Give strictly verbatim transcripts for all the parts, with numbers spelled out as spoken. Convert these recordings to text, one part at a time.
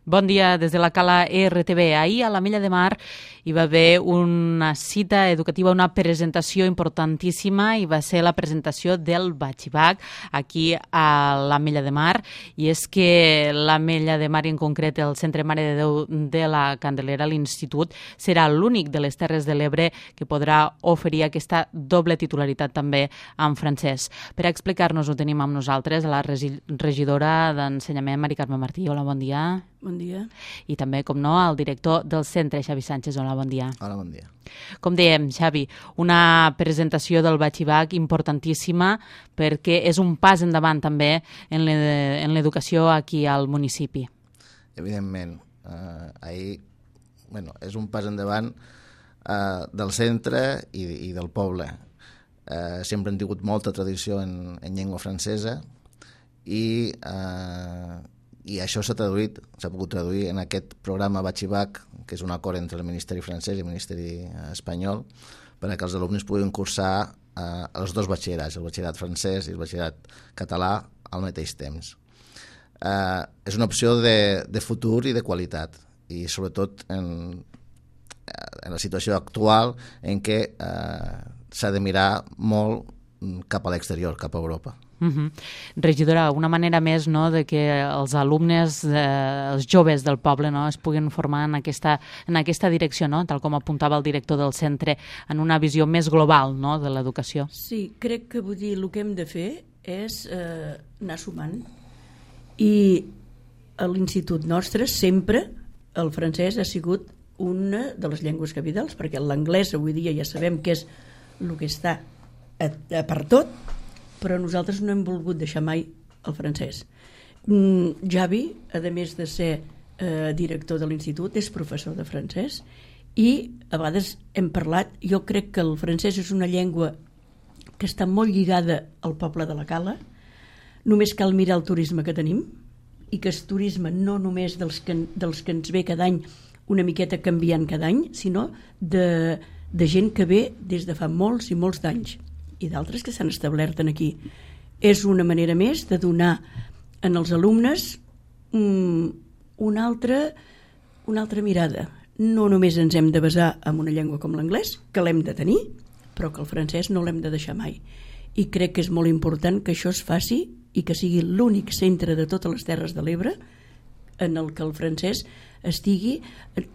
Bon dia des de la Cala R T V. Ahir a l'Ametlla de Mar hi va haver una cita educativa, una presentació importantíssima, i va ser la presentació del Batxibac aquí a l'Ametlla de Mar. I és que l'Ametlla de Mar, i en concret el Centre Mare de Déu de la Candelera, l'Institut, serà l'únic de les Terres de l'Ebre que podrà oferir aquesta doble titularitat també en francès. Per explicar-nos ho tenim amb nosaltres a la regidora d'Ensenyament, Mari Carme Martí. Hola, bon dia. Bon dia. I també, com no, el director del centre, Xavi Sánchez. Hola, bon dia. Hola, bon dia. Com dèiem, Xavi, una presentació del Batxibac importantíssima perquè és un pas endavant també en l'educació aquí al municipi. Evidentment. Eh, ahir, bueno, és un pas endavant eh, del centre i, i del poble. Eh, sempre hem tingut molta tradició en, en llengua francesa i... Eh, i això s'ha traduït, s'ha pogut traduir en aquest programa Batxibac, que és un acord entre el Ministeri francès i el Ministeri espanyol, perquè els alumnes puguin cursar eh, els dos batxillerats, el batxillerat francès i el batxillerat català, al mateix temps. Eh, és una opció de, de futur i de qualitat, i sobretot en, en la situació actual en què eh, s'ha de mirar molt cap a l'exterior, cap a Europa. Uh-huh. Regidora, una manera més, no, de que els alumnes, eh, els joves del poble, no, es puguin formar en aquesta, en aquesta direcció, no, tal com apuntava el director del centre, en una visió més global, no, de l'educació. Sí, crec que vull dir, el que hem de fer és eh, anar sumant, i a l'institut nostre sempre el francès ha sigut una de les llengües capitals, perquè l'anglès avui dia ja sabem que és el que està a, a per tot, però nosaltres no hem volgut deixar mai el francès. Mm, Javi, a més de ser eh, director de l'institut, és professor de francès, i a vegades hem parlat, jo crec que el francès és una llengua que està molt lligada al poble de la Cala. Només cal mirar el turisme que tenim, i que és turisme no només dels que, dels que ens ve cada any, una miqueta canviant cada any, sinó de, de gent que ve des de fa molts i molts d'anys, i d'altres que s'han establert aquí. És una manera més de donar en els alumnes um, una altra, una altra mirada. No només ens hem de basar en una llengua com l'anglès, que l'hem de tenir, però que el francès no l'hem de deixar mai. I crec que és molt important que això es faci i que sigui l'únic centre de totes les Terres de l'Ebre en el que el francès estigui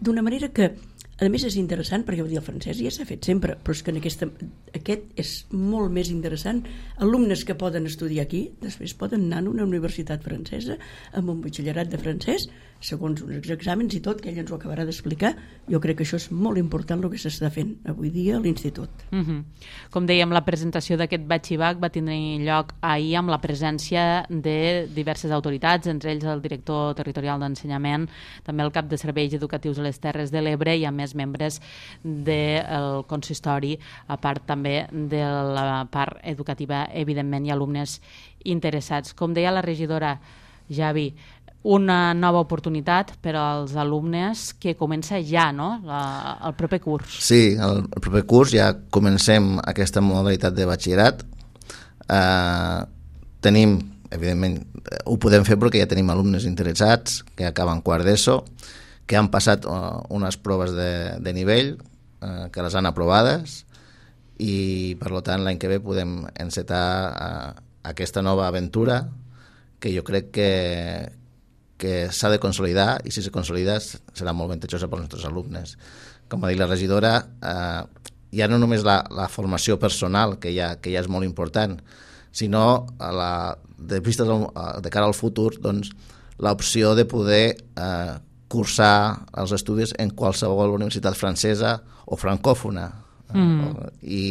d'una manera que, a més, és interessant, perquè dir, el francès ja s'ha fet sempre, però és que en aquesta, aquest és molt més interessant. Alumnes que poden estudiar aquí, després poden anar a una universitat francesa amb un batxillerat de francès, segons uns exàmens i tot, que ell ens ho acabarà d'explicar. Jo crec que això és molt important el que s'està fent avui dia a l'Institut. Uh-huh. Com dèiem, la presentació d'aquest Batxibac va tenir lloc ahir amb la presència de diverses autoritats, entre ells el director territorial d'Ensenyament, també el cap de serveis educatius a les Terres de l'Ebre, i a més membres del consistori, a part també de la part educativa, evidentment, i alumnes interessats. Com deia la regidora, Javi, una nova oportunitat per als alumnes que comença ja, no?, la, el proper curs. Sí, el, el proper curs ja comencem aquesta modalitat de batxillerat. Eh, tenim, evidentment, ho podem fer perquè ja tenim alumnes interessats que acaben quart d'ESO, que han passat uh, unes proves de, de nivell, uh, que les han aprovades, i per tant l'any que ve podem encetar uh, aquesta nova aventura que jo crec que, que s'ha de consolidar, i si se consolida serà molt avantatjosa pels nostres alumnes. Com ha dit la regidora, eh, ja no només la, la formació personal, que ja, que ja és molt important, sinó a la, de, vista de, de cara al futur, doncs, l'opció de poder eh, cursar els estudis en qualsevol universitat francesa o francòfona. Mm. I,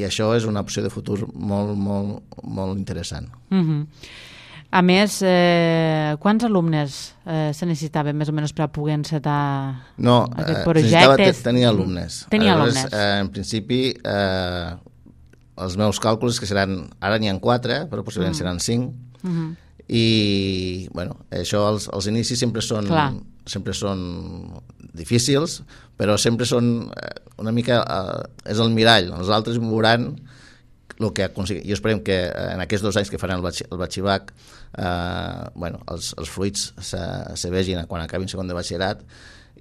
i això és una opció de futur molt, molt, molt interessant. Mm-hmm. A més, eh, quants alumnes eh, se necessitaven més o menys per a poder encetar no, aquest eh, projecte? necessitava tenir alumnes. Tenir Aleshores, alumnes. Eh, en principi, eh, els meus càlculs que seran, ara n'hi ha quatre, però possiblement mm. seran cinc, mm-hmm. i bueno, això, els, els inicis sempre són, sempre són difícils, però sempre són una mica, eh, és el mirall. Els altres veuran el que aconseguim, jo esperem que en aquests dos anys que faran el, batx, el batxibac eh, bueno, els, els fruits se, se vegin quan acabin segon de batxillerat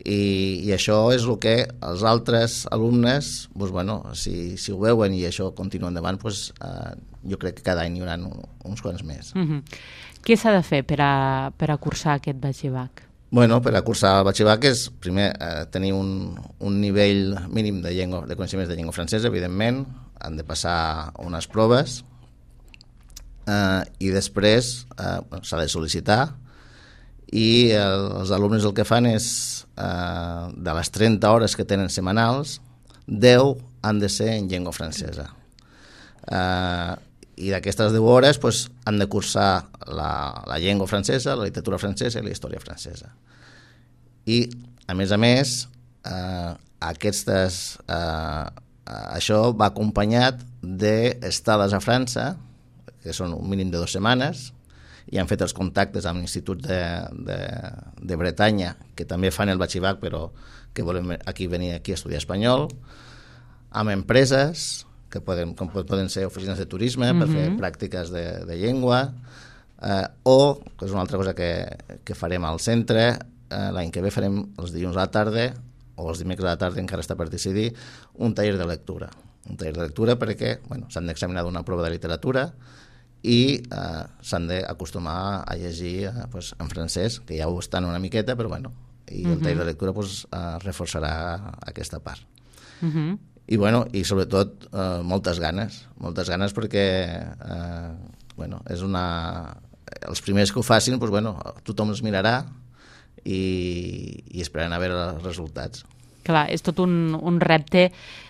i, i això és el que els altres alumnes doncs, bueno, si, si ho veuen i això continua endavant doncs, eh, jo crec que cada any hi haurà uns quants més. Mm-hmm. Què s'ha de fer per a, per a cursar aquest batxibac? Bueno, per a cursar el batxibac és primer eh, tenir un, un nivell mínim de, llengua, de coneixements de llengua francesa, evidentment, han de passar unes proves eh, i després eh, s'ha de sol·licitar i el, els alumnes el que fan és eh, de les trenta hores que tenen setmanals, deu han de ser en llengua francesa. Eh, i d'aquestes deu hores pues, han de cursar la, la llengua francesa, la literatura francesa i la història francesa. I, a més a més, eh, aquestes, eh, això va acompanyat d'estades a França, que són un mínim de dues setmanes, i han fet els contactes amb l'Institut de, de, de Bretanya, que també fan el batxibac, però que volen aquí venir aquí a estudiar espanyol, amb empreses, que poden, com poden ser oficines de turisme mm-hmm. per fer pràctiques de, de llengua, eh, o, que és una altra cosa que, que farem al centre, eh, l'any que ve farem els dilluns a la tarda, o els dimecres a la tarda, encara està per decidir, un taller de lectura. Un taller de lectura perquè bueno, s'han d'examinar d'una prova de literatura i eh, s'han d'acostumar a llegir eh, pues, en francès, que ja ho estan una miqueta, però bueno, i mm-hmm. el taller de lectura pues, eh, reforçarà aquesta part. Mm-hmm. I, bueno, i sobretot eh, moltes ganes, moltes ganes perquè eh, bueno, és una... els primers que ho facin, doncs, bueno, tothom els mirarà i, i esperaran a veure els resultats. Clar, és tot un, un repte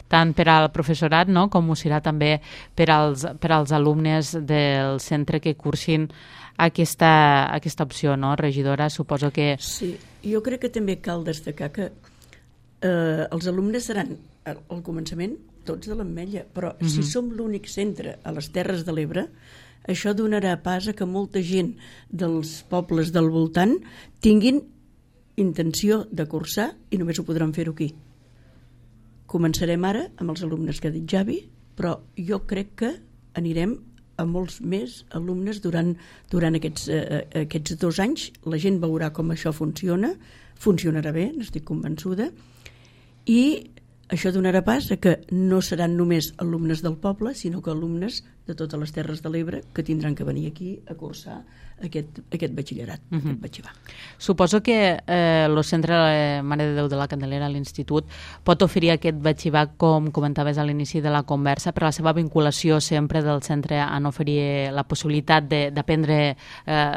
tant per al professorat no? Com ho serà també per als, per als alumnes del centre que cursin aquesta, aquesta opció, no, regidora? Suposo que... Sí, jo crec que també cal destacar que eh, els alumnes seran al començament tots de l'Ametlla, però mm-hmm. si som l'únic centre a les Terres de l'Ebre, això donarà pas a que molta gent dels pobles del voltant tinguin intenció de cursar i només ho podran fer-ho aquí. Començarem ara amb els alumnes que ha dit Javi, però jo crec que anirem a molts més alumnes durant, durant aquests, eh, aquests dos anys. La gent veurà com això funciona, funcionarà bé, n'estic convençuda, i això donarà pas a que no seran només alumnes del poble, sinó que alumnes de totes les Terres de l'Ebre que tindran que venir aquí a cursar aquest, aquest batxillerat, uh-huh. aquest batxibac. Suposo que eh, el centre Mare de Déu de la Candelera, l'Institut, pot oferir aquest batxibac, com comentaves a l'inici de la conversa, per la seva vinculació sempre del centre en oferir la possibilitat d'aprendre eh,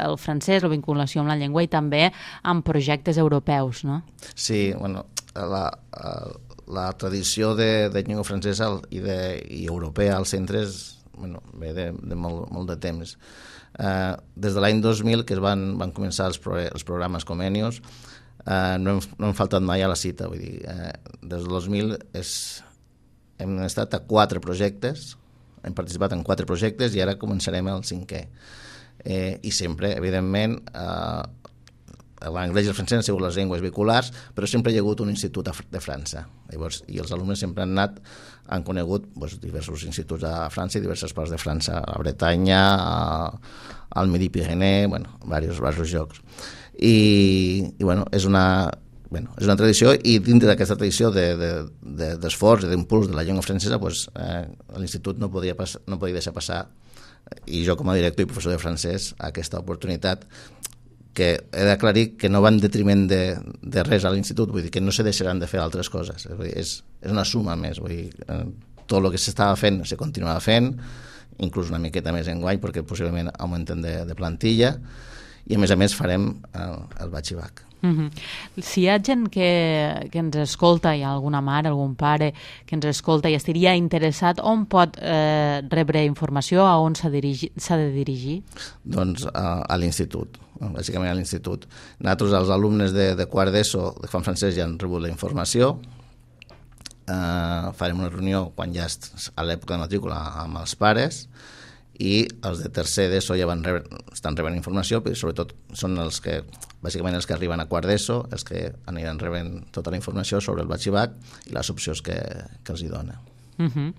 el francès, la vinculació amb la llengua i també amb projectes europeus, no? Sí, bueno, la... la... la tradició de, de llengua francesa i, de, i europea als centres bueno, ve de, de molt, molt de temps. Eh, des de l'any dos mil, que es van, van començar els, pro, els programes Comenius, eh, no, hem, no hem faltat mai a la cita. Vull dir, eh, des del dos mil és, hem estat a quatre projectes, hem participat en quatre projectes i ara començarem el cinquè. Eh, I sempre, evidentment, eh, l'anglès i el francès han sigut les llengües vehiculars, però sempre hi ha hagut un institut de França. Llavors, i els alumnes sempre han anat, han conegut doncs, diversos instituts a França i diverses parts de França, a la Bretanya, a, al Midi-Pyrénées, bueno, diversos, diversos llocs. I, i bueno, és una, bueno, és una tradició, i dintre d'aquesta tradició d'esforç de, de, de, i d'impuls de la llengua francesa, doncs, eh, l'institut no podia, pas, no podia deixar passar, i jo com a director i professor de francès, aquesta oportunitat que he d'aclarir que no va en detriment de, de res a l'institut, vull dir que no se deixaran de fer altres coses, vull dir, és, és una suma més, vull dir, eh, tot el que s'estava fent se continuava fent, inclús una miqueta més enguany perquè possiblement augmenten de, de plantilla, i a més a més farem el, el batxibac. Mm-hmm. Si hi ha gent que, que ens escolta, hi ha alguna mare, algun pare que ens escolta i estaria interessat, on pot eh, rebre informació, a on s'ha de dirigir? Doncs a, a l'institut, bàsicament a l'institut. Nosaltres, els alumnes de, de quart d'ESO que fan francès ja han rebut la informació, eh, farem una reunió quan ja est, a l'època de matrícula amb els pares, i els de tercer d'ESO ja van rebre, estan rebent informació, però sobretot són els que, bàsicament els que arriben a quart d'ESO, els que aniran rebent tota la informació sobre el batxibac i les opcions que, que els hi dona. Uh-huh.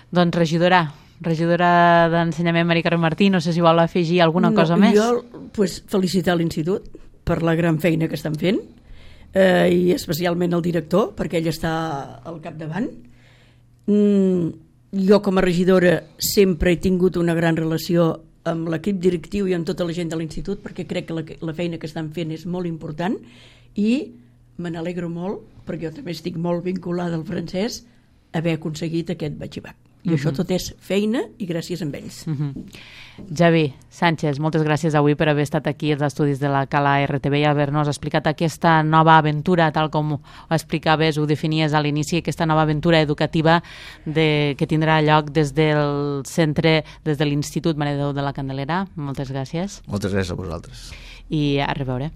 Doncs, regidora, regidora d'Ensenyament, Mari Carmen Martí, no sé si vol afegir alguna no, cosa més. Jo pues, felicitar l'Institut per la gran feina que estan fent, eh, i especialment el director, perquè ell està al capdavant. Mm, jo com a regidora sempre he tingut una gran relació amb l'equip directiu i amb tota la gent de l'Institut, perquè crec que la, la feina que estan fent és molt important i me n'alegro molt, perquè jo també estic molt vinculada al francès, haver aconseguit aquest batxibac. I uh-huh. això tot és feina i gràcies a ells. Uh-huh. Javi Sánchez, moltes gràcies avui per haver estat aquí als estudis de la Cala R T V i haver-nos explicat aquesta nova aventura, tal com ho explicaves, ho definies a l'inici, aquesta nova aventura educativa de, que tindrà lloc des del centre, des de l'Institut Mare de Déu de la Candelera. Moltes gràcies. Moltes gràcies a vosaltres. I a reveure.